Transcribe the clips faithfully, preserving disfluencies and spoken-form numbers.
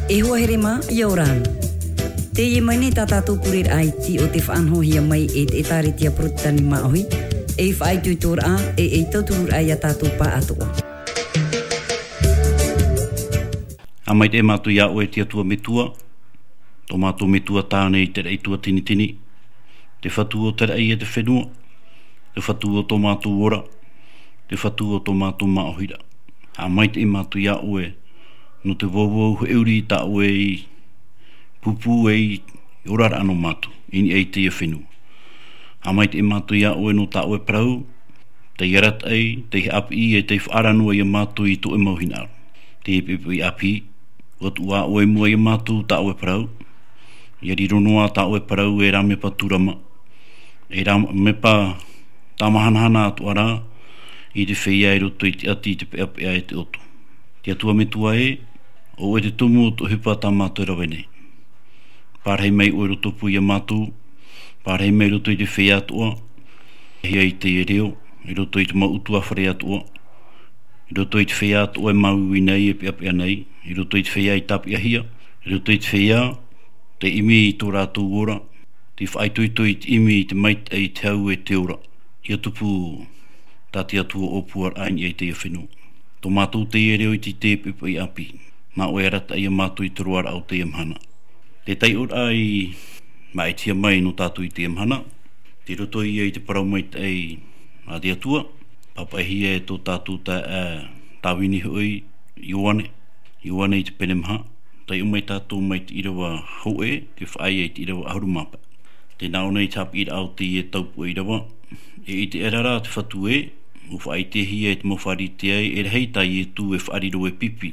E hoa here mā, ʻia ora na. Teie mai nei tā tātou pureraʻa iti o te faʻanahohia mai e te ʻĒtārētia Porotetani Māʻohi, ei faʻaitoitoraʻa, e, ei tautururaʻa ia tātou pāʻatoʻa. ʻA maitaʻi mātou iā ʻoe te Atua Metua, tō mātou Metua tāne i te raʻi tuatinitini, te Fatu o te raʻi e te fenua, te Fatu o tō mātou ora, te Fatu o tō mātou māʻohiraʻa. ʻA maitaʻi mātou iā ʻoe, nō te vauvau heʻuri tā ʻoe i pūpū ai i oraraʻa nō mātou, i niʻa i teie fenua. ʻA maitaʻi mātou iā ʻoe nō tā ʻoe parau, tei arataʻi, tei haʻapiʻi, e tei faʻaara noa iā mātou i tō ʻoe mau hinaʻaro. Te poʻipoʻi ʻāpī, ʻua tuʻu ā ʻoe i mua iā mātou tā ʻoe parau, ʻia riro noa tā ʻoe parau e rāmepa tūrama, e rāmepa tāmahanahana atoʻa ra, i te feiā i roto i te ʻati, i te peʻapeʻa e te ʻoto. Te Atua Metua ē, ʻo ʻoe te tumu o tō ʻoe ʻohipa tā mātou e rave nei. Pārahi mai ʻoe i roto pū iā mātou, pārahi mai i roto i te feiā atoʻa, hia i teie reo, i roto i te mau ʻutuāfare atoʻa, i roto i te feiā atoʻa e māuiui nei, e peʻapeʻa nei, i roto i te feiā i tāpeʻahia, i roto i te feiā, tei ʻimi i tō rātou ora, tei faʻaitoito i te ʻimi i te maitaʻi, i te hau e te ora, ʻia tupu tā te Atua ʻōpuaraʻa i niʻa i teie fenua. Tō mātou teie reo iti te poʻipoʻi ʻāpī, nā ʻoe e arataʻi iā mātou i te roaraʻa o teie mahana. Te taiʻoraʻa i māʻitihia mai nō tātou i teie mahana, tei roto ia i te parau maitaʻi a te Atua, pāpaʻihia e tō tātou taeaʻe Tāvini hoʻi, Ioane, Ioane i te pene maha, taiʻo mai tātou mai te ʻīrava hōʻē, tei faʻaea i te ʻīrava ʻahuru mā pae. Tē nā ʻō nei te haʻapiʻiraʻa o teie taupoʻe ʻīrava, e ʻite aʻera rā te Fatu ē, ʻua faʻaʻitehia e te mau Pharisea ē, e rahi tā Ietu e faʻariro e pipi,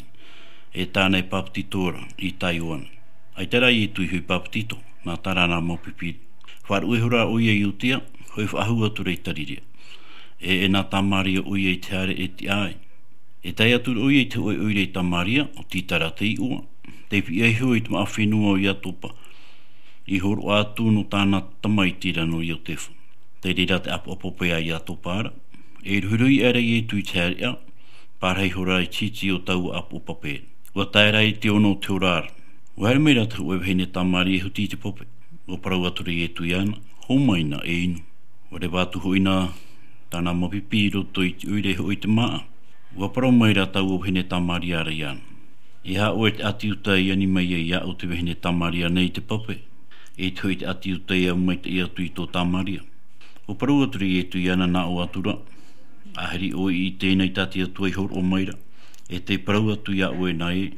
e tāna e pāpetito ra i tā Ioane. ʻAita rā Ietu i hoʻi pāpetito, nā tā rāna mau pipi. Faʻaruʻe ihora ʻoia i Iudea, hoʻi faʻahou atu ra i Tarirea. E, e nā Tamaria ʻoia i te haere e tiʻa ai. E tae atu ra ʻoia i te hōʻē ʻoire i Tamaria, ʻo Tita ra te iʻoa, tei piʻi iho i te māʻa fenua o Iatopa, i hōroʻa atu nō tāna tamaiti ra nō Iotefa. Tei reira te ʻāpoʻo pape a Iatopa ra, e ruhiruhi aʻera Ietu i te haereʻa, pārahi ihora i te hiti o taua ʻāpoʻo pape. ʻUa tae ra i te ono o te hora ra, ʻua haere mai ra te hōʻē vahine Tamaria e huti i te pape. ʻUa parau atu ra Ietu iāna, hōmai na e inu. ʻUa reva atu hoʻi na tāna mau pipi i roto i te ʻoire hoʻi i te māʻa. ʻUa parau mai ra taua vahine Tamaria ra iāna, e aha ʻoe te ʻāti Iuta e ani mai ai iāʻu te vahine Tamaria nei i te pape, e ʻite hoʻi te ʻāti Iuta e au maitaʻi atu i tō Tamaria. ʻUa parau atu ra Ietu iāna, nā ʻō atu ra, ahiri ʻoe i ʻite na i tā te Atua i hōroʻa mai ra, e tē parau atu iā ʻoe na ē,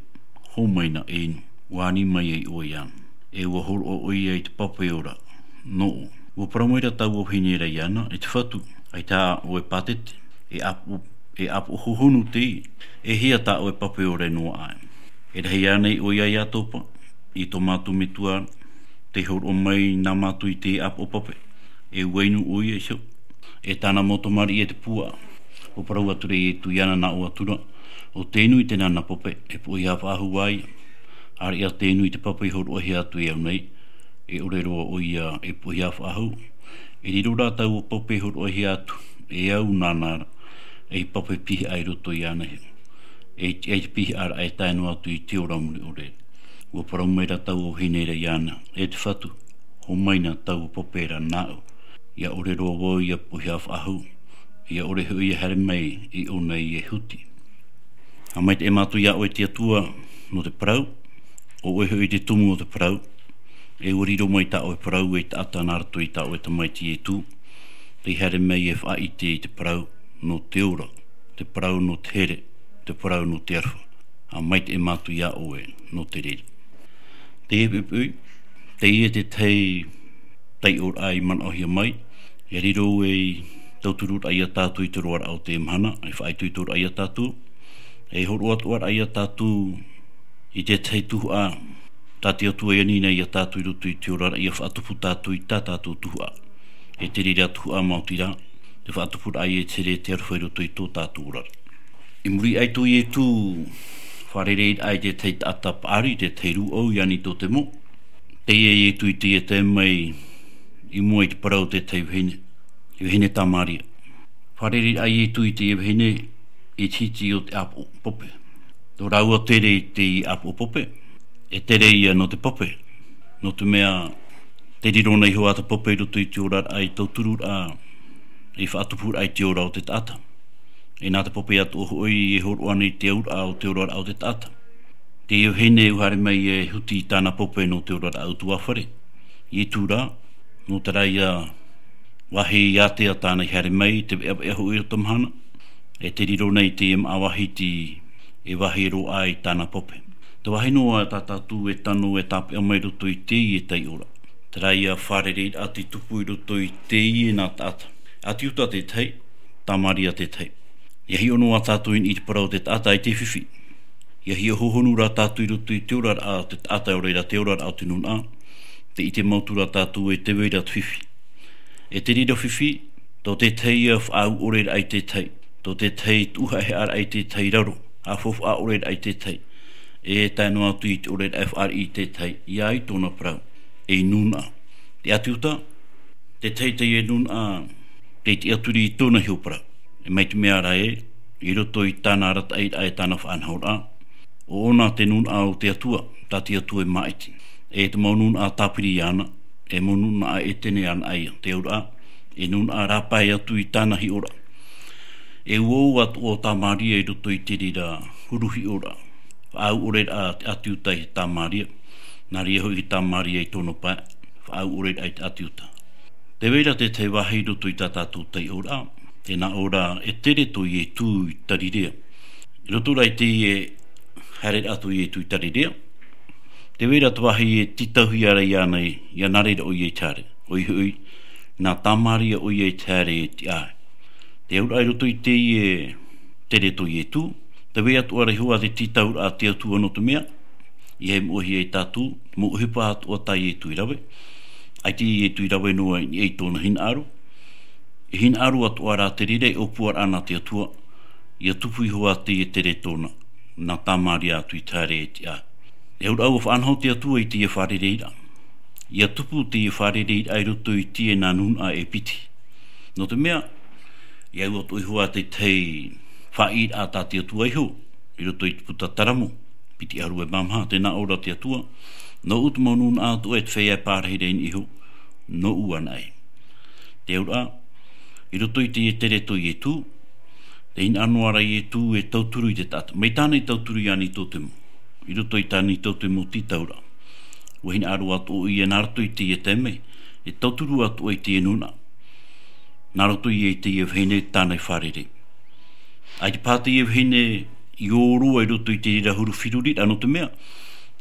hōmai na e inu, ʻua ani mai ai ʻoe iāna. E ʻua hōroʻa ʻoia i te pape ora nōʻu. ʻUa parau mai ra taua vahine ra iāna, e te Fatu, ʻaita ʻoe pātete, e ʻāpoʻo, e ʻāpoʻo hohonu teie, e hia tā ʻoe pape ora e noaʻa ai. E rahi ānei ʻoe iā Iatopa, i tō mātou Metua, tei hōroʻa mai nā mātou i te ʻāpoʻo pape, e ʻua inu ʻoia iho, e tāna mau tamariʻi e te puaʻa. ʻUa parau atu ra Ietu iāna, nā ʻō atu ra, ʻo tē inu i te nānā pape, e poʻihā faʻahou ā ia. ʻĀreʻa tē inu i te pape i hōroʻahia atu e au nei, e ʻore roa ʻoia e poʻihā faʻahou. E riro rā taua pape i hōroʻahia atu e au nāna ra, ei pape pihaʻa i roto iāna iho. E tiʻa i te pihaʻa ra e tae noa atu i te ora mure ʻore. ʻUa parau mai ra taua vahine ra iāna, e te Fatu, hōmai na taua pape ra nāʻu. ʻIa ʻore roa vau ʻia poʻihā faʻahou, ʻia ʻore hoʻi ʻia haere mai i ʻō nei e huti. ʻA maitaʻi mātou iā ʻoe te Atua, nō te parau, ʻo ʻoe hoʻi te tumu o te parau, e ʻua riro mai tā ʻoe parau ei taʻata nā roto i tā ʻoe tamaiti Ietu, tei haere mai e faʻaʻite i te parau, nō te ora, te parau nō te here, te parau nō te aroha. ʻA maitaʻi mātou iā ʻoe nō te reira. Teie poʻipoʻi, teie te tahi taiʻoraʻa i manaʻohia mai, e riro ei tautururaʻa iā tātou i te roaraʻa o te mahana, e faʻaitoitoraʻa iā tātou, e hōroʻa atoʻa ra iā tātou i te tahi tuhaʻa, tā te Atua i ani nei iā tātou i roto i te oraraʻa, ʻia faʻatupu tātou i tā tātou tuhaʻa. E te reira tuhaʻa maoti rā, te faʻatupuraʻa i te here, te aroha i roto i tō tātou oraraʻa. I muri aʻe tō Ietu fārereiraʻa i te tahi taʻata paʻari, te tahi rūʻau, Iānitotemo. Teie Ietu i teie tae mai i mua i te parau o te tahi vahine, i vahine Tamaria. Fārereiraʻa Ietu i teie vahine i te hiti o te ʻāpoʻo pape. Tō rāua tere i te ʻāpoʻo pope, e tere ia nō te pope. Nō te mea, te riro nei hoʻi te pope i roto i te oraraʻa i tauturu ra, i faʻatupu ra i te ora o te taʻata. E nā te pope atoʻa hoʻi e hōroʻa nei te auraʻa o te oraraʻa o te taʻata. Te vahine ʻua haere mai e huti i tāna pope nō te oraraʻa utuafare. I tura, nō te reira vāhi ātea tāna i haere mai, te veʻaveʻa hoʻi o te mahana, e te riro nei te māʻa vāhi e vāhi roa i tāna pope. Te vāhi noa tā tātou e tano e tāpeʻa mai roto i teie taiʻoraʻa. Te reira fārereiraʻa te tupu i roto i teie nā taʻata. ʻAti Iuta tētahi, Tamaria tētahi. ʻIa hiʻo noa tātou i te parau o te taʻata i te fifi. ʻIa hiʻo hohonu rā tātou i roto i te oraraʻa o te taʻata ʻo reira te oraraʻa o te nūnaʻa. Te ʻite mau atu rā tātou e te vai ra te fifi. E te reira fifi, tō tētahi ia faʻaau ʻore ra i tētahi. Tō tētahi tuʻu haʻehaʻa ra i tētahi raro, haʻafaufaʻa ʻore ra i tētahi. E tae noa atu i te ʻore ra e fāriʻi i tētahi, ʻia ʻai tōna parau. E nūnaʻa. Te ʻati Iuta, tētahi teie nūnaʻa, tei tiʻaturi i tōna hiʻoraʻa. E mai te mea ra ē, i roto i tāna arataʻiraʻa e tāna faʻanahoraʻa, ʻo ʻōna te nūnaʻa o te Atua, tā te Atua e māʻiti. E te mau nūnaʻa tāpiri iāna, e mau nūnaʻa ʻētene iāna ia, te auraʻa, e nūnaʻa rāpae atu i tāna hiʻoraʻa. E uaua atoʻa ʻo Tamaria i roto i te reira huru hiʻoraʻa. Faʻaau ʻore ra te ʻati Iuta i Tamaria, nā reira hoʻi Tamaria i tōna pae, faʻaau ʻore ra i te ʻati Iuta. Te vai ra tētahi vāhi i roto i tā tātou taiʻoraʻa, tē nā ʻō ra e tere tō Ietu i Tarirea. I roto ra i teie haereraʻa tō Ietu i Tarirea, te vai ra te vāhi e tītauhia ra iāna ē, ʻia nā reira ʻoia i te haere. ʻOia hoʻi, nā Tamaria ʻoia i te haere i te ʻāʻai. Te auraʻa i roto i teie tere tō Ietu, te vai atoʻa ra hoʻi te tītauraʻa a te Atua nō te mea, ʻia hiʻohia ia tātou, mau ʻohipa atoʻa tā Ietu i rave. ʻAita Ietu i rave noa i niʻa i tōna hinaʻaro. E hinaʻaro atoʻa rā te reira e ʻōpuaraʻa nā te Atua, ʻia tupu hoʻi teie tere tōna, nā Tamaria atu i te haere i te ʻāʻai. E auraʻa ʻua faʻanaho te Atua i teie fārereiraʻa. ʻIa tupu teie fārereiraʻa i roto i teie nā nūnaʻa e piti. Nō te mea, ʻia au atoʻa hoʻi tētahi faʻaʻīraʻa tā te Atua iho, i roto i te puta Taramo, piti ʻahuru e maha, tē nā ʻō ra te Atua, nōʻu te mau nūnaʻa atoʻa e te feiā e pārahi ra i niʻa iho, nōʻu anaʻe. Te auraʻa, i roto i teie tere tō Ietu, tē hinaʻaro noa ra Ietu e tauturu i te taʻata. Mai tāna i tauturu iāna i tō te mau. I roto i tāna i tō te mau tītauraʻa. ʻUa hinaʻaro atoʻa ʻoia nā roto i teie taime, e tauturu atoʻa i teie nūnaʻa. Nā roto ia i teie vahine tāna i fārerei. ʻAita paha teie vahine i ō roa i roto i te reira huru feruriraʻa nō te mea,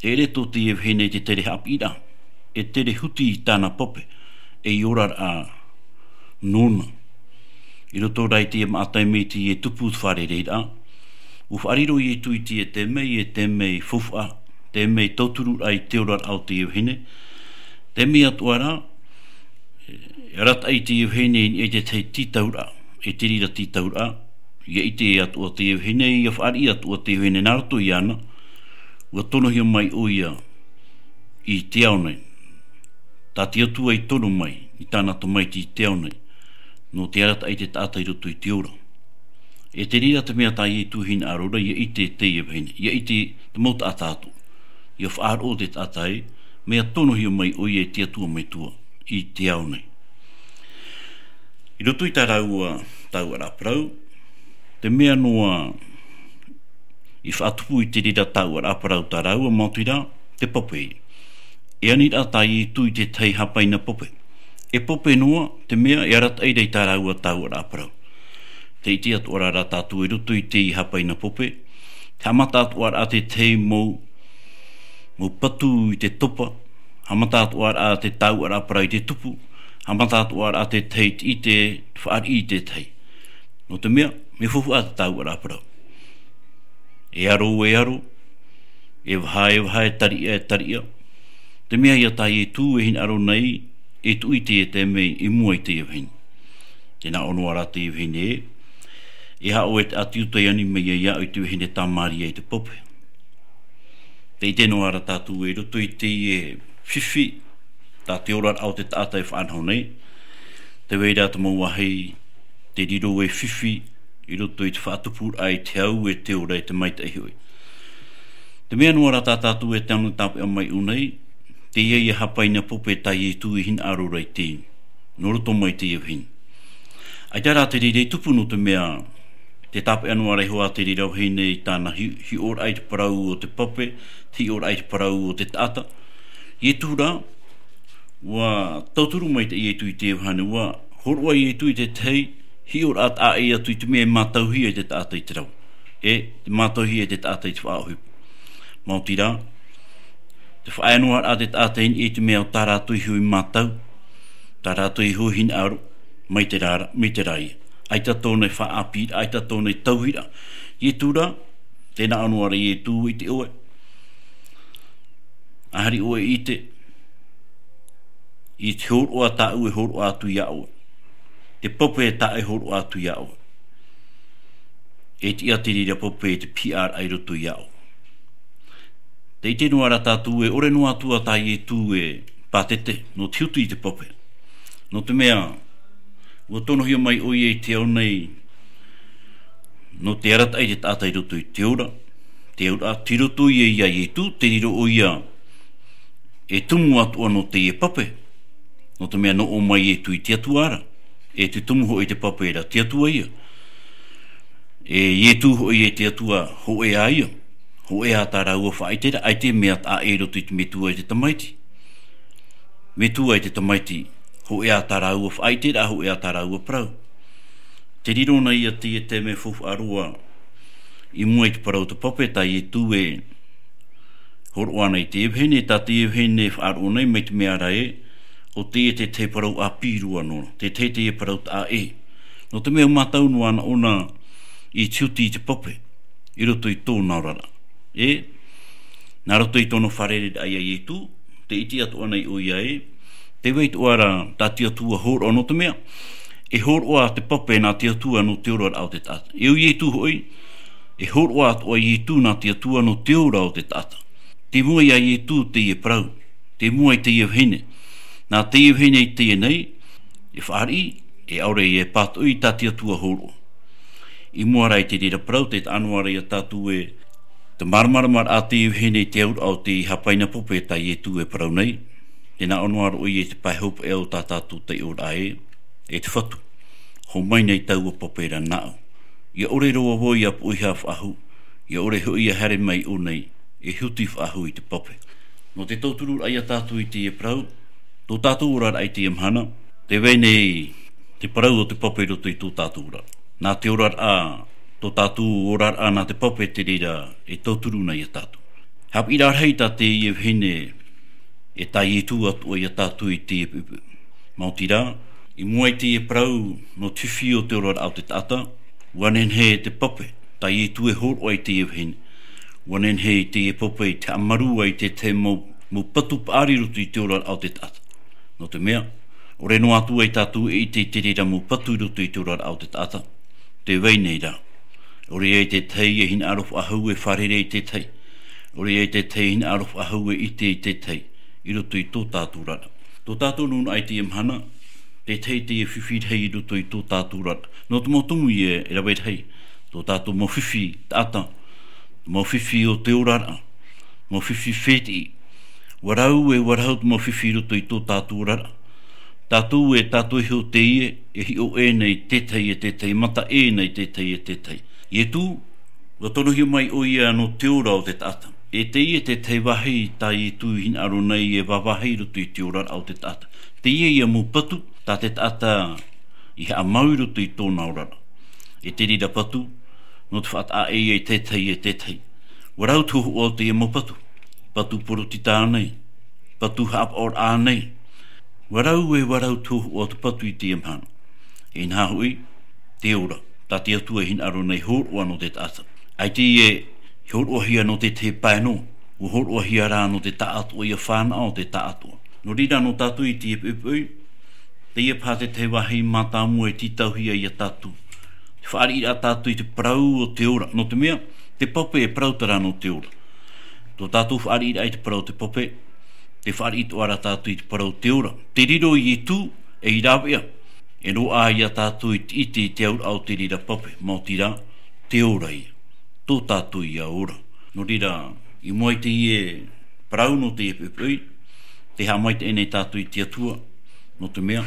e ʻere tō teie vahine te tere haʻapiʻiraʻa, e tere huti i tāna pope, e i oraraʻa nōna. I roto rā i teie māʻa taime i teie tupu te fārereiraʻa, ʻua faʻariro Ietu i teie taime, e taime faufaʻa, taime tautururaʻa i te oraraʻa o teie vahine. Taime atoʻa rā, e arataʻi teie vahine i niʻa i te tahi tītauraʻa, e te reira tītauraʻa, ʻia ʻite atoʻa teie vahine, ʻia fāriʻi atoʻa teie vahine nā roto iāna, ʻua tonohia mai ʻoia i te ao nei. Tā te Atua i tono mai, i tāna tamaiti i te ao nei, nō te arataʻi te taʻata i roto i te ora. E te reira te mea tā Ietu e hinaʻaro ra, ʻia ʻite teie vahine, ʻia ʻite te mau taʻata atoʻa. ʻIa faʻaroʻo te taʻata ē, mea tonohia mai ʻoia e te Atua Metua, i te ao nei. I roto i tā rāua taoʻa parau, te mea noa i faʻatupu i te reira taoʻa parau tā rāua, maoti rā, te pope. E ani ra tā Ietu i te tahi hāpaina pope. E pope noa, te mea e arataʻi ra i tā rāua taoʻa parau. Tē ʻite atoʻa ra tātou i roto i te hāpaina pope. Te haʻamata atoʻa ra te tahi mau, mau patu i te topa. Haʻamata atoʻa ra te taoʻa parau i te tupu. Haʻamata atoʻa ra te tahi i te fāriʻi i te tahi. Nō te mea, mea faufaʻa te taoʻa parau. E aro, e aro, e vaha, e vaha, e tariʻa, e tariʻa. Te mea ia tā Ietu e hinaʻaro nei, e tuʻu i teie taime i mua i teie vahine. Tē nā ʻō noa ra teie vahine ē, e haʻo e te ʻati Iuta e ani mai ia iāʻu i te vahine Tamaria i te pope. Tē ʻite noa ra tātou i roto i teie fifi, tā te oraraʻa o te taʻata e faʻanaho nei, te vai ra te mau vāhi, te riro e fifi, i roto i te faʻatupuraʻa i te hau e te ora e te maitaʻi hoʻi. Te mea noa rā tā tātou e tano tāpeʻa mai ʻō nei, teie ia hāpaina pape tā Ietu i hinaʻaro ra i te inu, nō roto mai teie vahine. ʻAita rā te reira i tupu nō te mea, te tāpeʻa noa ra iho ā te reira vahine i tāna hi-, hiʻoraʻa i te parau o te pape, te hiʻoraʻa i te parau o te taʻata. Ietu rā, ʻua tauturu mai te Ietu i te vahine, ʻua hōroʻa Ietu i te tahi hiʻoraʻa taʻa ʻē atu i te mea e mātauhia e te taʻata i te rave. E, te mātauhia e te taʻata i te faʻaʻohipa. Maoti rā, te faʻaea noa rā te taʻata i niʻa i te mea o tā rātou iho i mātau, tā rātou iho i hinaʻaro, mai te rā, mai te rā ia. ʻAita tōna i faʻaʻāpī, ʻaita tōna i tauhi ra. Ietu rā, tē nā ʻō noa ra Ietu ʻite ʻoe. ʻAhari ʻoe i ʻite, i te hōroʻa tāʻu e hōroʻa atu iā ʻoe. Te pape tāʻu e hōroʻa atu iā ʻoe. E tiʻa te reira pape e te pihaʻaraʻa i roto iā ʻoe. Tē ʻite noa ra tātou e ʻore noa atu ā tā Ietu e pātete, nō te huti i te pape. Nō te mea, ʻua tonohia mai ʻoia i te ao nei, nō te arataʻi i te taʻata i roto i te ora, te ora, tei roto ia iā Ietu, tei riro ʻoia e tumu atoʻa nō teie pape. Nō te mea nō ʻō mai Ietu i te Atua ra, e te tumu hoʻi te pape ra, te Atua ia. E Ietu hoʻi e te Atua, hōʻē ā ia, hōʻē ā tā rāua faʻaʻiteraʻa, ʻaita e mea taʻa ʻē i roto i te metua e te tamaiti. Metua e te tamaiti, hōʻē ā tā rāua faʻaʻiteraʻa, hōʻē ā tā rāua parau. Te riro na ia teie taime faufaʻa roa, i mua i te parau o te pape tā Ietu e hōroʻa nei i teie vahine, tā teie vahine e faʻaroʻo nei mai te mea ra ē, ʻo teie te tahi parau ʻāpī roa noa, te tahi teie parau taʻa ʻē. Nō te mea ʻua mātau noa anaʻe ʻōna i te huti i te pape, i roto i tōna oraraʻa. E, nā roto i tōna fārereiraʻa iā Ietu, tē ʻite atoʻa nei ʻoia ē, tē vai atoʻa ra tā te Atua hōroʻa nō te mea, e hōroʻa te pape nā te Atua nō te oraraʻa o te taʻata. E ʻo Ietu hoʻi, e hōroʻa atoʻa Ietu nā te Atua nō te ora o te taʻata. Tei mua iā Ietu teie parau, tei mua i teie vahine, nā teie vahine i teie nei, e fāriʻi, e ʻaore e pātoʻi tā te Atua hōroʻa. I mua ra i te reira parau, tē taʻa noa ra iā tātou e, te māramarama ra teie vahine i te auraʻa o te hāpaina pape tā Ietu e parau nei, tē nā ʻō noa ra ʻoia i te pae hopeʻa o tā tātou taiʻoraʻa ē, e te Fatu. Hōmai nei taua pape ra nāʻu. ʻIa ʻore roa vau ʻia poʻihā faʻahou, ʻia ʻore hoʻi ʻia haere mai ʻō nei, e huti faʻahou i te pape. Nō te tautururaʻa iā tātou i teie parau, tō tātou oraraʻa i teie mahana, tē vai nei te parau o te pape i roto i tō tātou oraraʻa. Nā te oraraʻa, tō tātou oraraʻa nā te pape te reira e tauturu na iā tātou. Haʻapiʻiraʻa rahi tā teie vahine, e tā Ietu atoʻa iā tātou i teie poʻipoʻi. Maoti rā, i mua i teie parau, nō te fifi o te oraraʻa o te taʻata, ʻua nehenehe te pape, tā Ietu e hōroʻa i teie vahine. ʻUa nehenehe i teie pape i te haʻamaru ai i te tahi mau, mau patu paʻari i roto i te oraraʻa o te taʻata. Nō te mea, ʻore noa atu ai tātou e ʻite i te reira mau patu i roto i te oraraʻa o te taʻata. Tē vai nei rā. ʻOre ia i te tahi e hinaʻaro faʻahou e fārerei i te tahi. ʻOre ia i te tahi e hinaʻaro faʻahou e ʻite i te tahi. I roto i tō tātou oraraʻa. Tō tātou nūnaʻa i teie mahana, te tahi teie fifi rahi i roto i tō tātou oraraʻa. Nō te mau tumu e rave rahi. Tō tātou mau fifi taʻata. Mau fifi o te oraraʻa. Mau fifi fētiʻi. ʻUa rau e ʻua rau te mau fifi i roto i tō tātou oraraʻa. Tātou e tātou iho teie, e hiʻo ʻē nei te tahi e te tahi, mata ʻē nei te tahi e te tahi. Ietu, ʻua tonohia mai ʻoia nō te ora o te taʻata. E teie te tahi vāhi tā Ietu i hinaʻaro nei e vāvāhi i roto i te oraraʻa o te taʻata. Teie ia mau patu, tā te taʻata i haʻamau i roto i tōna oraraʻa. E te reira patu, nō te faʻataʻa ʻē ia i te tahi e te tahi. ʻUa rau te hōhoʻa o teie mau patu. Patu porotita nei, patu haʻapaʻoraʻa nei. ʻUa rau e ʻua rau te hōhoʻa o te patu i teie mahana. Inaha hoʻi, te ora, tā te Atua i hinaʻaro nei hōroʻa nō te taʻata. ʻAita e hōroʻahia nō te tahi pae noa, ʻua hōroʻahia rā nō te taʻatoʻa ia fānaʻo te taʻatoʻa. Nō reira nō tātou i teie poʻipoʻi, teie paha te tahi vāhi mātāmua e tītauhia iā tātou. Te fāriʻiraʻa tātou i te parau o te ora, nō te mea, te pape e parau terā nō te ora. Tō tātou fāriʻiraʻa i te parau o te pape, te fāriʻi atoʻa rā tātou i te parau o te ora. Te riro Ietu, ei rāveʻa, e roaʻa iā tātou i te ʻite i te auraʻa o te reira pape, maoti rā, te ora ia. Tō tātou ia ora. Nō reira, I mua i teie parau nō teie poʻipoʻi, tē haʻamaitaʻi nei tātou i te Atua, nō te mea,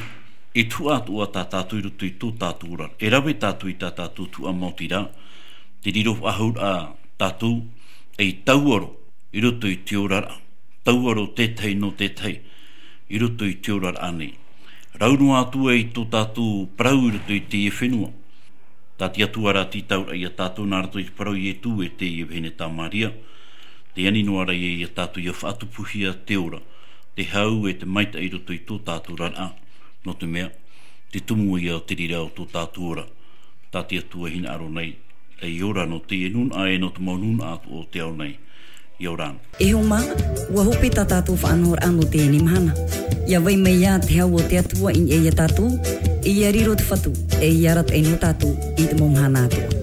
e tuhaʻa atoʻa tā tātou i roto i tō tātou oraraʻa. E rave tātou i tā tātou tuhaʻa maoti ra, tē riro faʻahou ra tātou ei tauaro i roto i te oraraʻa, tauaro tētahi nō tētahi i roto i te oraraʻa nei. Rau noa atu i tō tātou parau i roto i teie fenua. Tā te Atua rā tītau ra ia tātou nā roto i te parau Ietu e teie vahine tā Maria, tē ani noa ra ia ia tātou ia faʻatupuhia te ora, te hau e te maitaʻi i roto i tō tātou oraraʻa, nō te mea, te tumu ia o te reira o tō tātou ora, tā te Atua e hinaʻaro nei, ei ora nō teie nūnaʻa e nō te mau nūnaʻa atoʻa o te ao nei. ʻIa ora na. E hoa mā, ʻua hope tā tātou faʻanahoraʻa nō teie mahana. ʻIa vai mai ā te hau o te Atua i niʻa ia tātou, ʻia riro te Fatu, e ʻia arataʻi nō tātou i te mau mahana atoʻa.